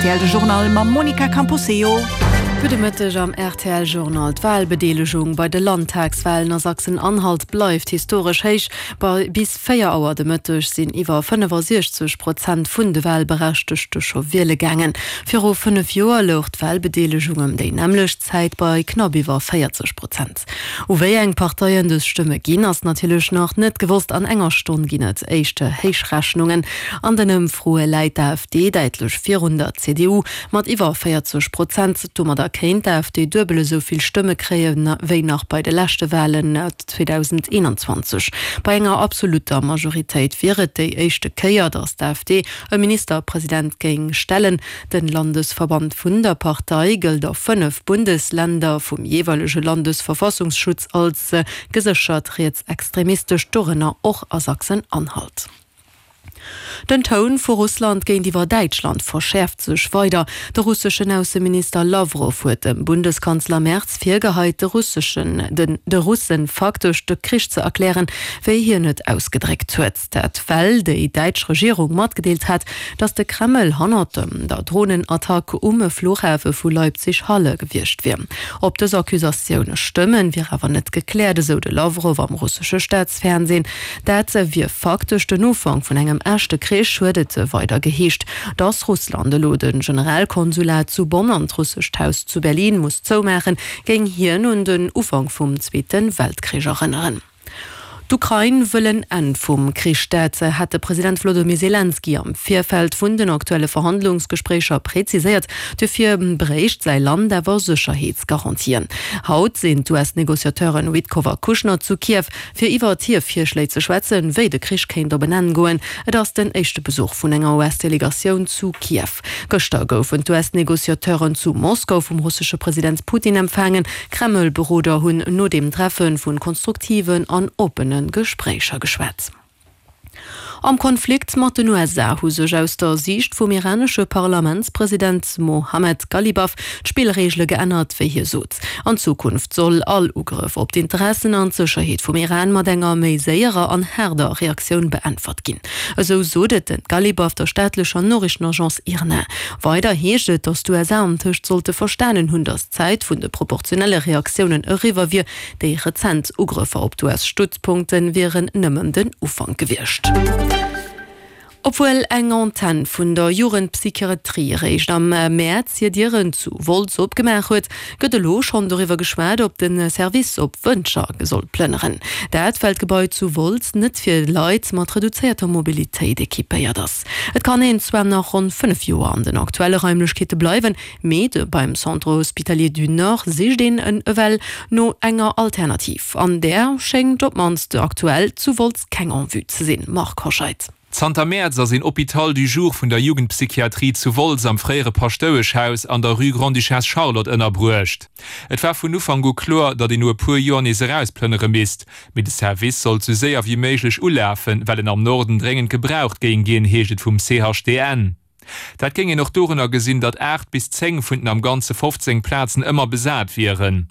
Rtl de Journal mam Monica Camposeo. Gudde Mëtteg am rtl Journal. D'Walbedeelegung bei de Landtagswalen a Sachsen-Anhalt bleift historesch héich. Bei bis 4 Auer de Mëtteg sinn iwwer 65 Prozent vun de Walberechtegte scho wiele gaangen. Viru 5 Joer louch d'Walbedeelegung ëm déi nämmlecht Zäit bei knapp iwwer 40 Prozent. U wéi eng Parteien dës Stëmme ginn, ass natierlech nach net gewosst. An enger Stonn ginn et éischte Héichrechnungen. An den Ëmfroe läit d'AfD däitlech virun der CDU mat iwwer 40 Prozent. Domadder kéint d'AfD duebel esou vill Stëmme kréie wéi nach bei de leschte Walen 2021. Bei enger absolutter Majoritéit wier et déi éischte Kéier, datt d'AfD e Ministerpresident géing stellen. Den Landesverband vun der Partei gëllt a 5 Bundesländer vum jeeweilege Landesverfassungsschutz als geséchert rietsextremistesch, dorënner och a Sachsen-Anhalt. Den Toun vu Russland géintiwwer Däitschland verschäerft sech weider. De russeschen Ausseminister Lawrow huet dem Bundeskanzler Merz virgeheit, de russeschen de Russen faktesch de Krich ze erklären, wéi hien et ausgedréckt huet. Dat well déi däitsch Regierung matgedeelt hat, datt de Kreml hannert dem der Dronenattack um Fluchhafe vu Leipzig-Halle gewiescht wier. Ob dës Accusatioune stëmmen, wier awer net gekläert, esou de Lawrow am russesche Staatsfernseen. Dat wier faktesch den Ufank vun engem echte Krich, huet et weider geheescht. Datt Russland elo de Generalkonsulat zu Bonn an d'Russescht Haus zu Berlin muss zoumaachen, géing hien un den Ufank vum Zweete Weltkrich erënneren. D'Ukrain wëll en Enn vum Krich. Dat hat de President Wlodomir Selenskyj am Virfeld vun den aktuelle Verhandlungsgespréicher preziséiert. Dofir bréicht säi Land awer Sécherheetsgarantien. Haut sinn d'US-Negociateuren Witkoff a Kushner zu Kiew, fir iwwert hir Virschléi ze schwätzen, wéi de Krich kéint op en Enn goen. Et ass den éischte Besuch vun enger US-Delegatioun zu Kiew. Gëschter goufen d'US-Negociateuren zu Moskau vum russesche President Putin empfaangen. Kreml-Beroder hunn no deem Treffe vu konstruktiven an oppene Gespréicher geschwat. Am Konflikt mat den USA hu sech aus der Siicht vum iranesche Parlamentspresident Mohammed Ghalibaf d'Spillreegele geännert, wéi hie sot. An Zukunft soll all Ugrëff op d'Interessen an d'Sécherheet vum Iran mat enger méi séierer an haarder Reaktioun beäntwert ginn. Esou sot et den Ghalibaf der staatlecher Noriichtenagence IRNA. Weider heescht et, datt d'USA antëscht sollte verstanen hunn, datt d'Zäit vun de proportionelle Reaktiounen eriwwer wier. Déi rezent Ugrëffer op d'US-Stützpunkte wieren nëmmen den Ufank gewiescht. Obwuel eng Antenn vun der Jugendpsychiatrie eréischt am Mäerz hir Dieren zu Wolz opgemaach huet, gëtt elo schonn doriwwer geschwat, ob de Service op Wëntger soll plënneren. Dat well d'Gebai zu Wolz net fir Leit mat reduzéierter Mobilitéit equipéiert ass. Et kann een zwar nach ronn 5 Joer an den aktuelle Raimlechkeete bleiwen, Mee de beim Centre Hospitalier du Nord sicht een en ewell no enger Alternativ. An där schéngt op d'mannst aktuell zu Wolz keng en vue ze sinn. Marc Hoscheid. Zanter Mäerz ass een Hôpital du jour vun der Jugendpsychiatrie zu Wolz am fréiere Paschtoueschhaus an der Rue Grande-Duchesse Charlotte ënnerbruecht. Et war vun Ufank u kloer, datt een no e puer Joer nees erausplënnere misst. Mee de Service sollt sou séier wéi méiglech ulafen, well en am Norden dréngend gebraucht géing ginn, heescht et vum CHDN. Dat géing een och dorunner gesinn, datt 8 bis 10 vun den am Ganze 15 Plazen ëmmer besat wieren.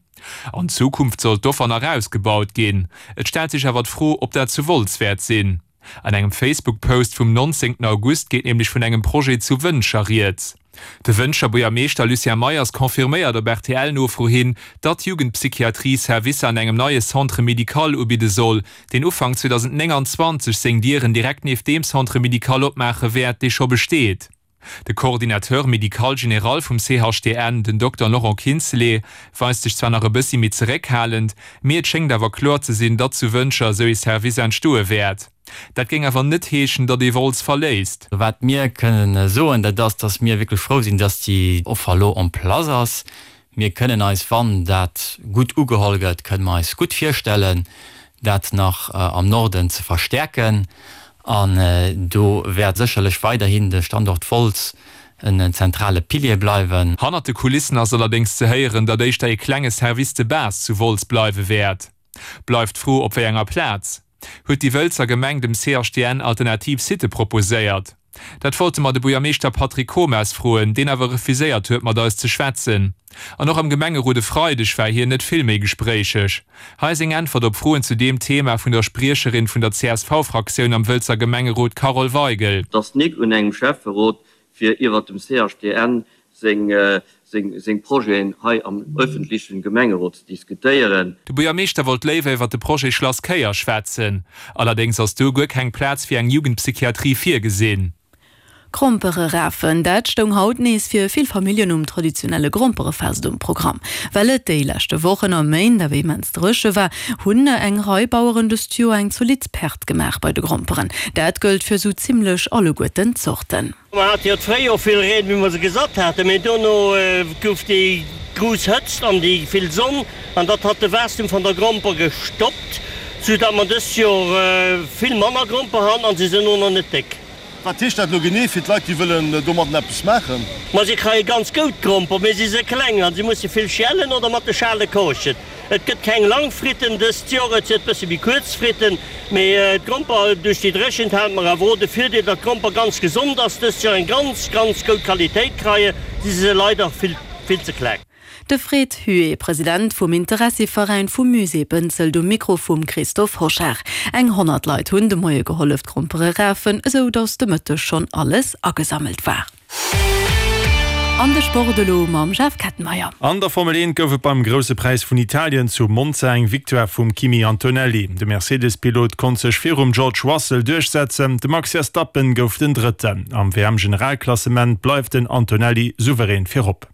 An Zukunft soll d'Offer nach ausgebaut ginn. Et stellt sech awer d'Fro, ob dat zu Wolz wäert sinn. An engem Facebook-Post vum 19 August geet nämlech vun engem Projet zu Wëntger rieds. De Wëntger Buergermeeschter Lucien Meyers confirméiert op RTL-Nofro hin, datt d'Jugendpsychiatrie Servicer an engem neie Centre médical ubidde soll, deen Ufank 2029 seng Dieren direkt nieft deem Centre médical opmaache wäert, dee scho besteet. De Coordinateur médical général vum CHDN, den Dokter Laurent Kintzelé, weist sech zwar nach e bëssi méi zeréckhalend, mee et schéngt awer kloer ze sinn, datt zu Wëntger esou ee Service entstoe wäert. Dat géing awer net heeschen, datt ee Wolz verléisst. Wat mir kënnen soen, dat ass, datt mir wierklech frou sinn, datt déi Offer elo en place ass. Mir kënnen eis, wann dat gutt ugeholl gëtt, kënne mer eis gutt virstellen, dat nach am Norden ze verstäerken. An do wäert sécherlech weiderhin de Standort Wolz en zentrale Pilier bleiwen. Hannert de Kulissen ass allerdéngs ze héieren, datt éischter ee klenge Service de base zu Wolz bleiwe wäert. Bleift d'Fro, op wéi enger Plaz. Huet déi Wëlzer Gemeng dem CHDN alternativ Sitte proposéiert? Dat wollte mer de Buergermeeschter Patrick Comas froen, deen awer refuséiert huet mat eis ze schwätzen. An och am Gemengerot e Freideg war hien net vill méi gespréicheg. Hei seng Äntwert op Froen zu deem Thema vun der Spriecherin vun der CSV-Fraktioun am Wëlzer Gemengerot Carole Weigel. Et ass nik un engem Schäfferot. fir iwwert dem CHDN seng seng Projeten hei am öffentlichen Gemengerot ze diskutéieren. De Buergermeeschter wollt léiwer iwwer de Projet Schlass Kéier schwätzen. Allerdéngs ass do guer keng Plaz fir eng Jugendpsychiatrie virgesinn. Grompere rafen, dat stoung haut nees fir vill Familljen um traditionelle Gromperefest um Programm. Well et déi leschte Wochen a Méint awer immens dréche war, hunn eng Rei Baueren dëst Joer eng zolidd Perte gemaach bei de Gromperen. Dat gëllt fir sou zimmlech alleguerten d'Zorten. Mer hate jo d'Fréijoer vill Reen, wéi mer se gesat haten, mee dono gouf déi grouss Hëtzt an déi vill Sonn an dat hat de Waastum van der Gromper gestoppt, sou dat mer dëst Joer vill manner Gromper han an se sënn o na net déck. Wat heescht dat elo genee fir d'Leit, déi wëllen domadden eppes maachen? Ma si kreie ganz goud Gromper, mee si se kleng an si musse vill schälen oder mat de Schale koochen. Et gëtt keng lang Fritten dëst Joer, et sëtt bësse méi kuerz Fritten, mee d'Gromper, duerch déi Dréchent hat mer awer och de Virdeel, datt d'Gromper ganz gesond ass dëst Joer, eng ganz, ganz goud Qualitéit kreie, si se leider vill, vill ze kleng. De Fred Huet, President vum Interessiveräin vum Musée Bënzelt um Mikro vum Christophe Hochard. Eng 100 Leit hunn de Moie gehollef d'Grompere rafen, esou datt de Mëtteg schonn alles agesammelt war. An de Sport elo mam Jeff Kettenmeyer. An der Formel 1 gouf et beim Grousse Präis vun Italien zu Monza eng Victoire vum Kimi Antonelli. De Mercedes-Pilot konnt sech virum George Russell duerchsetzen, de Max Verstappen gouf den Drëtten. Am WM-Generalklassement bleift den Antonelli souverän virop.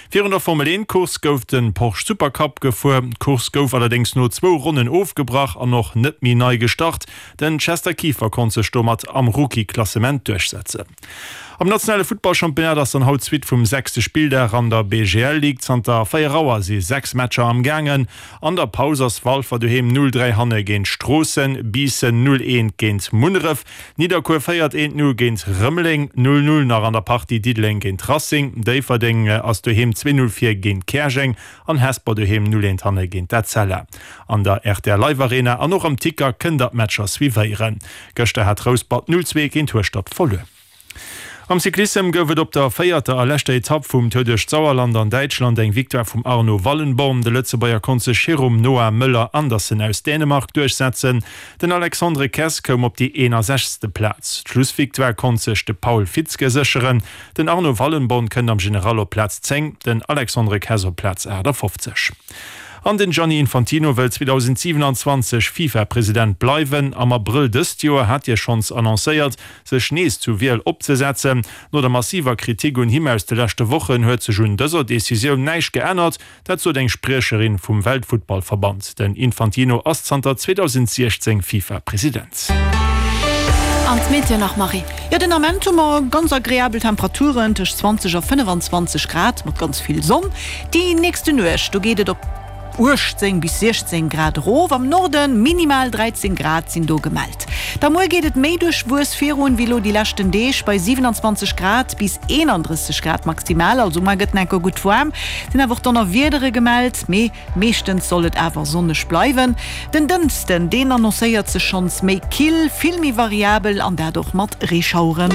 Virun der Formel 1 Course gouf de Porsche Supercup gefuer. D'Course gouf allerdéngs no zwou Ronnen ofgebrach an och net méi nei gestart. Den Chester Kieffer konnt sech domat am Rookie-Klassement duerchsetzen. Am nationale Futtballchampionnat ass dann haut d'Suite vum sechste Spilldag an der BGL Ligue. Zanter 4 Auer si 6 Matcher am gaangen. An der Paus ass Walfer doheem 0, 3 hanne géint Stroossen, Biissen 0, 1 géint Munneref, Nidderkuer féiert 1, 0 géint Rëmeleng, 0, 0 nach an der Partie Diddeleng géint Racing, Déifferdeng ass doheem 2, 0 vir géint Käerjeng an Hesper doheem 0, 1 hanne géint d'Etzella. An der rtl Live Arena an och am Ticker kënnt der d'Matcher suivéieren. Gëschter hat Rouspert 0, 2 géint Hueschtert verluer. Am Cyclissem gouf et op der véierter a leschter Etapp vum Tour duerch d'Sauerland an Däitschland eng Victoire vum Arno Wallenborn. De Lëtzebuerger konnt sech virum Noah Möller Andersen aus Dänemark duerchsetzen. Den Alexandre Kess koum op déi 61. Plaz. D'Schlussvictoire konnt sech de Paul Fitzke sécheren. Den Arno Wallenborn kënnt am General op Plaz 10, den Alexandre Kess op Plaz 58. An den Gianni Infantino wëll 2027 FIFA-President bleiwen. Am Abrëll dëst Joer hat hie schonns annoncéiert, sech nees zu Wiel opzesetzen. No der massiver Kritik un him aus de leschte Wochen huet sech un dëser Decisioun näischt geännert. Dat sot eng Spriecherin vum Weltfuttballverband. Den Infantino ass zanter 2016 FIFA-President. An d'Meteo nach, Marie? Jo, den Ament hu mer ganz agreabel Temperaturen, tëscht 20 a 25 Grad mat ganz vill Sonn. Déi nächste Nuecht, do geet et op 18 bis 16 Grad erof, am Norde minimal 13 Grad sinn do gemellt. Da muer geet et méi duerchwuess virun wéi elo déi leschten Deeg, bei 27 Grad bis 31 Grad maximal. Also muer gëtt enker gutt waarm, sinn awer och Donnerwiedere gemellt, mee meeschtens soll et awer sonneg bleiwen. Den Dënschden, deen annoncéiert sech schonns méi kill, vill méi variabel an dat och mat Reeschaueren.